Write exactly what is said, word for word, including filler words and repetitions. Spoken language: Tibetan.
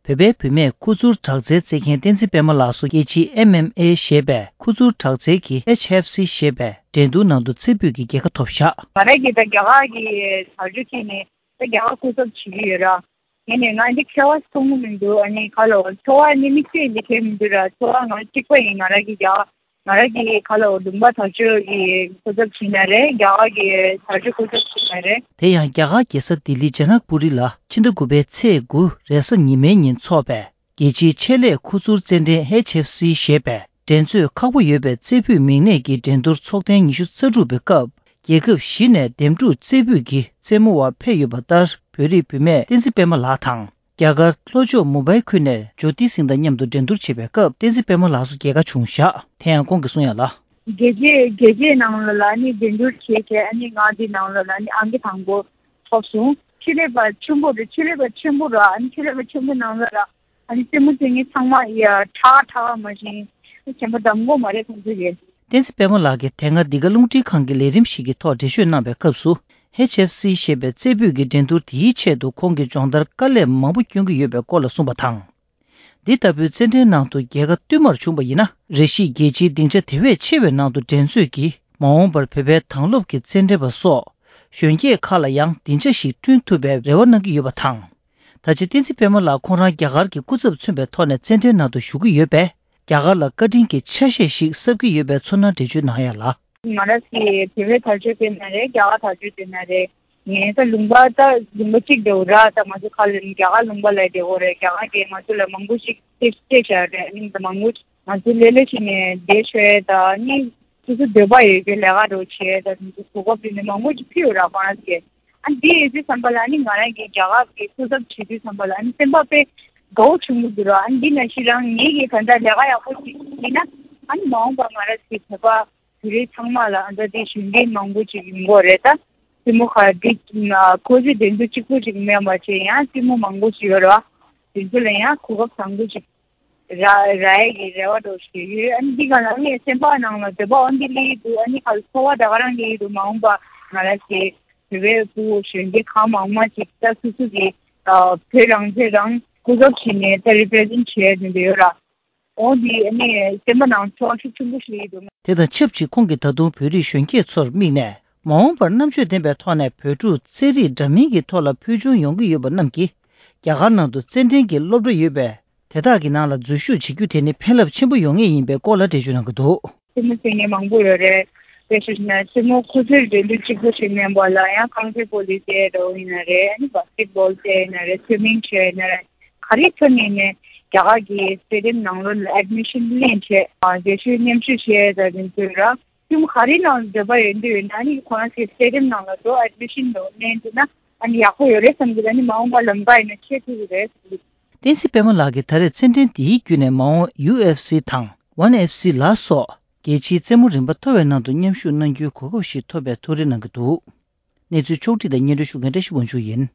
བོད་པའི་བུད་མེད་ཁུ་ཚུར་དྲག་རྩལ་རྩེད་མཁན་བསྟན་འཛིན་པད་མ་ལགས་སུ་རྒྱལ་སྤྱིའི་ཨེམ་ཨེམ་ཨེ་ཞེས་པའི་ཁུ་ཚུར་དྲག་རྩལ་གྱི་ཨེཆ་ཨེཕ་སི་ཞེས་པའི་འགྲན་བསྡུར་ནང་དུ་རྩེ་ཕུད་ཀྱི་རྒྱལ་ཁ་ཐོབ་བཞག་ང་རང་གིས་ད་རྒྱ་གར་གྱི་དར་ཆ་ཁྱེར་ནས་ད་རྒྱ་གར་སྐུ་ཚབ་བྱེད་ཀྱི་ཡོད་ར། ཡིན་ནའི་ང་འདི་ཁྱད་པར་མཐོང་གི་མི་འདུག་ཨ་ནི་ག་ལ་འོ་ཁྱད་པར་ནི་དམིགས་བསལ་འདི་གས་མི་འདུག་ར། ཁྱད་པར་ང་གཅིག་པ་ཡིན། ང་རང་གི་རྒྱ་ང་རང་གི་ག་ལ་འོ་ལུང་པ་དར་ཆ་གི་སྐུ་ཚབ་བྱེད་ན་རེད། རྒྱ་གར་གི་དར་ཆ་སྐུ་ཚབ་བྱེད་ན་རེད། དེ་ཡང་རྒྱ་གར་རྒྱལ་ས་ལྡི་ལི་ཇ་ནག་པུ་རི་ལ་ཕྱི་ཟླ་དགུ་པའི་ཚེས་དགུ་རེས་གཟའ་ཉི་མའི་ཉིན་འཚོགས་པའི་རྒྱལ་སྤྱིའི་ཆེད་ལས་ཁུ་ཚུར་རྩེད་འགྲན་ཨེཆ་ཨེཕ་སི་ཞེས་པའི་འགྲན་རྩོད་ཁག་པོ་ཡོད་པའི་རྩེ་ཕུད་མིང་གནས་ཀྱི་འགྲན་བསྡུར་ཚོགས་ཐེངས་ཉི་ཤུ་རྩ་དྲུག་པའི་སྐབས། རྒྱལ་ཁབ་བཞི་ནས་འདེམས་སྒྲུག་རྩེ་ཕུད་ཀྱི་རྩེད་མོ་བ་ཕེབས་ཡོད་པ་ལྟར། བོད་རིགས་བུད་མེད་བསྟན་འཛིན་པད་མ་ལགས་དང་། རྒྱ་གར་ལྷོ་ཕྱོགས་མུམ་བྷའི་ཁུལ་ནས་ཇོ་ཏི་སིང་དང་མཉམ་དུ་འགྲན་བསྡུར་བྱེད་པའི་སྐབས། བསྟན་འཛིན་པད་མ་ལགས་སུ་རྒྱལ་ཁ་བྱུང་བཞག་དེ་ཡང་ཁོང་གིས་གསུང་ཡ་ལ། རྒྱལ་སྤྱིའི་རྒྱལ་སྤྱིའི་ནང་ལ་ལ་ནི་འགྲན་བསྡུར་བྱས་བྱས། ཨ་ནི་ང་འདི་ནང་ལ་ལ་ནི་ཨང་ཀི་དང་པོ་ཐོབ་སོང་། ཆེད་ལས་པ་ཆེན་པོ་རེད། ཆེད་ལས་པ་ཆེན་པོ་ར། ཨ་ནི་ཆེད་ལས་པ་ཆེན་པོ་ནང་ལ་ར། ཨ་ནི་རྩེད་མོ་རྩེ་མཁན་ཚང་མ་ཡ་ཁྲ་ཁྲ་མ་བཞིན་གཞན་པ་གདམ་གོ་མ་རེད་ཁོང་ཚོ་གིས། བསྟན་འཛིན་པད་མ་ལགས་ཀྱིས་དེ་སྔ་འདི་ག་རླུང་འཕྲིན་ཁང་གི་ལས་རིམ་ཞིག་གི་ཐོག་འགྲེལ་བརྗོད་གནང་བའི་སྐབས་སུ། ཨེཆ་ཨེཕ་སི་ཞེས་པའི་རྩེ་ཕུད་ཀྱི་འགྲན་བསྡུར་དེའི་ཆེད་དུ་ཁོང་གིས་སྦྱོང་བརྡར་དཀའ་ལས་མང་པོ་བསྐྱོན་གྱི་ཡོད་པའི་སྐོར་ལ་གསུངས་པ་དང་། འདི་ལྟ་བུའི་རྩེད་འགྲན་ནང་དུ་རྒྱལ་ཁ་བསྟུད་མར་བྱུང་བ་ཡིན་ན། རེ་ཞིག་རྒྱལ་སྤྱིའི་སྡིངས་ཆ་དེ་བས་ཆེ་བའི་ནང་དུ་འགྲན་རྩོད་ཀྱིས། མ་འོངས་པར་བོད་པའི་དྭང་སློབ་ཀྱི་རྩེད་འགྲན་པ་སོགས་གཞོན་སྐྱེས་ཁག་ལ་ཡང་སྡིངས་ཆ་ཞིག་བསྐྲུན་ཐུབ་པའི་རེ་བ་གནང་གི་ཡོད་པ་དང་། ད་ཆ་བསྟན་འཛིན་པད་མ་ལགས་ཁོང་རང་རྒྱ་གར་གྱི་སྐུ་ཚབ་མཚོན་པའི་ཐོག་ནས་རྩེད་འགྲན་ནང་དུ་ཞུགས་ཀྱི་ཡོད་པས། རྒྱ་གར་ལ་བཀའ་དྲིན་གྱི་ཆ་ཤས་ཤིག་གསབ་ཀྱི་ཡོད་པའི་ཚོར་སྣང་འགྲེལ་བརྗོད་གནང་ཡ་ལ། ང་རང་གིས་བོད་པའི་དར་ཆ་བསྟན་ན་རེད། རྒྱ་གར་དར་ཆ་བསྟན་ན་རེད། ངས་ད་ལུང་པ་ད་ལུང་པ་གཅིག་འདྲ་བོ་ར། ད་ང་ཚོ་ཁ་ལ་རྒྱ་གར་ལུང་པ་ལ་འདྲ་བོ་རེད། རྒྱ་གར་གྱིས་ང་ཚོ་ལ་མང་པོ་ཞིག་སྤྲད་སྤྲད་བཞག་རེད། ཨ་ནི་ད་མང་པོ་ང་ཚོ་ལས་ལས་བྱས་ནས་བསྡད་ཤོད་ད། ཨ་ནི་སོ་སོ་འདོད་པ་ཡོད་རྒྱུ་ལས་ཀ་འདྲ་བོ་བྱས་ད། ང་ཚོ་གོ་སྐབས་དེ་ནས་མང་པོ་ཞིག་ཕུལ་ཡོད་ར་ཁོ་རང་ཚོ་གིས། ཨ་འདི་ཡོད་དུས་ཙམ་པ་ལ་ཨ་ནི་ང་རང་གིས་རྒྱ་གར་གྱི་སྐུ་ཚབ་བྱེད་དུས་ཙམ་པ་ལ་ཨ་ནི་སེམས་པ་དཔེ་དགའ་བོ་བྱུང་གི་འདུག་ར། ཨ་འདི་ནང་བཞིན་རང་ངེད་ཀྱིས་གང་ལྟར་ལས་ཀ་ཡག་པོ་ཞིག་བྱས་ན། ཨ་ནི་མ་འོངས་པ་ང་རང་ཚོའི་བོད་པ་བོད་རིགས་ཚང་མ་ལ་ཨ་ད་དེ་གཞོན་སྐྱེས་མང་པོ་ཅིག་ཡོང་གི་རེད་ད། རྩེད་མོ་ཁ་འདི་ཁོ་ཚོའི་འགྲན་བསྡུར་གཅིག་པུ་ཅིག་མེད་པ་བྱས་ཡང་རྩེད་མོ་མང་པོ་ཞིག་ཡོད་ར། དེ་ཚོ་ལ་ཡང་གོ་སྐབས་བཟང་པོ་ཅིག་རག་རག་ཡས་ཀྱི་རེ་བ་འདྲ་ཞིག་ཡོད། ཨ་ནི་འདི་ག་ལ་ངས་སེམས་པ་ནང་ལ་འདོད་པ་འོ་འདི་སླེབས་ཀྱི་འདུག་ཨ་ནི་ག་ལ་ཚོར་བ་ད་ག་རང་སླེབས་ཀྱི་འདུག་མ་འོངས་པ་ང་རང་ཚོའི་བོད་པའི་ཕྲུ་གུ་གཞོན་སྐྱེས་གང་མང་མང་ཅིག་ད་སོ་སོ་གི་ཨ་བོད་རང་བཙན་རང་སྐུ་ཚབ་བྱས་ནས་ད་རི་པི་རི་ཛེན་ཊི་བྱས་ནས་འདི་ཡོད་ར། འོ་འདི་ཨ་ནི་སེམས་པ་ནང་ཚོར་བ་ཤུགས་ཆེན་པོ་ཞིག་སླེབས་ཀྱི་འདུག་དེ་དང་ཆབས་ཅིག་ཁོང་གིས་ད་དུང་བོད་རིགས་གཞོན་སྐྱེས་ཚོར་དམིགས་ནས། མ་འོངས་པར་རྣམ་དཔྱོད་ལྡན་པའི་ཐོག་ནས་བོད་ཕྲུག་རྩེད་རིགས་འདྲ་མིན་གྱི་ཐོག་ལ་ཕུལ་བྱུང་ཡོང་གི་ཡོད་པ་རྣམས་ཀྱིས། རྒྱ་གར་ནང་དུ་རྩེད་འགྲན་གྱི་སློབ་གྲྭ་ཡོད་པས། དེ་དག་གི་ནང་ལ་འཛུལ་ཞུགས་བྱེད་རྒྱུ་དེ་ནི་ཕན་རླབས་ཆེན་པོ་ཡོང་ངེས་ཡིན་པའི་སྐོར་ལ་འགྲེལ་བརྗོད་གནང་གི་འདུག་རྩེད་མོ་རྩེ་མཁན་མང་པོ་ཡོད་རེད། དཔེ་བཞག་ན་རྩེད་མོ་ཁོ་ཚོའི་འགྲན་བསྡུར་གཅིག་པུ་ཞིག་མིན་པ་ལ་ཡང་རྐང་རྩེད་སྤོ་ལོ་རྩེ་འདྲ་བོ་ཡིན་ན་རེད། ཨ་ནི་བྷ་སི་ཀེ་ཊི་བྷོལ་རྩེ་ཡིན་ན་རེད། སུའི་མིང་རྩེ་ཡིན་ན་རེད། ག་རེ་ཐོན་ཡིན་ནའི་རྒྱ་གར་གྱི་སི་ཊེ་ཌི་ཡམ་ནང་ལོགས་ལ་ཨེཌ་མི་ཤན་ལེན་བྱས། རྗེས་ཤོད་མཉམ་ཞུགས་བྱས་ད་དེ་ཚོ་ར། ཁྱིམ་ག་རེ་ནང་འདོད་པ་ཡོད་འདོད་ཡོད་ན་ནི་ཁོ་རང་ཚོའི་སི་ཊེ་ཌི་ཡམ་ནང་ལ་འགྲོ། ཨེཌ་མི་ཤན་ལེན་འདུག་ན་ཨ་ནི་ཡག་པོ་ཡོད་རེད་བསམ་གྱི་འདུག་ཨ་ནི་མ་འོངས་པ་ལམ་ཀ་ཡིན་ན་ཆད་ཐུབ་ཀྱི་རེད་བསམ་གྱི་འདུག་བསྟན་འཛིན་པད་མ་ལགས་ཀྱིས་ད་རེས་རྩེད་འགྲན་འདིའི་བརྒྱུད་ནས་མ་འོངས་ཡུ་ཨེཕ་སི་དང་ཝན་ཨེཕ་སི་ལ་སོགས་རྒྱལ་སྤྱིའི་རྩེད་མོ་རིམ་པ་མཐོ་བའི་ནང་དུ་མཉམ་ཞུགས་གནང་རྒྱུའི་གོ་སྐབས་ཤིག་ཐོབ་པའི་ཐུགས་རེ་གནང་གི་འདུག་གནས་ཚུལ་ཕྱོགས་བསྒྲིགས་དང་སྙན་སྒྲོན་ཞུ་མཁན་བཀྲ་ཤིས་དབང་ཕྱུག་ཡིན།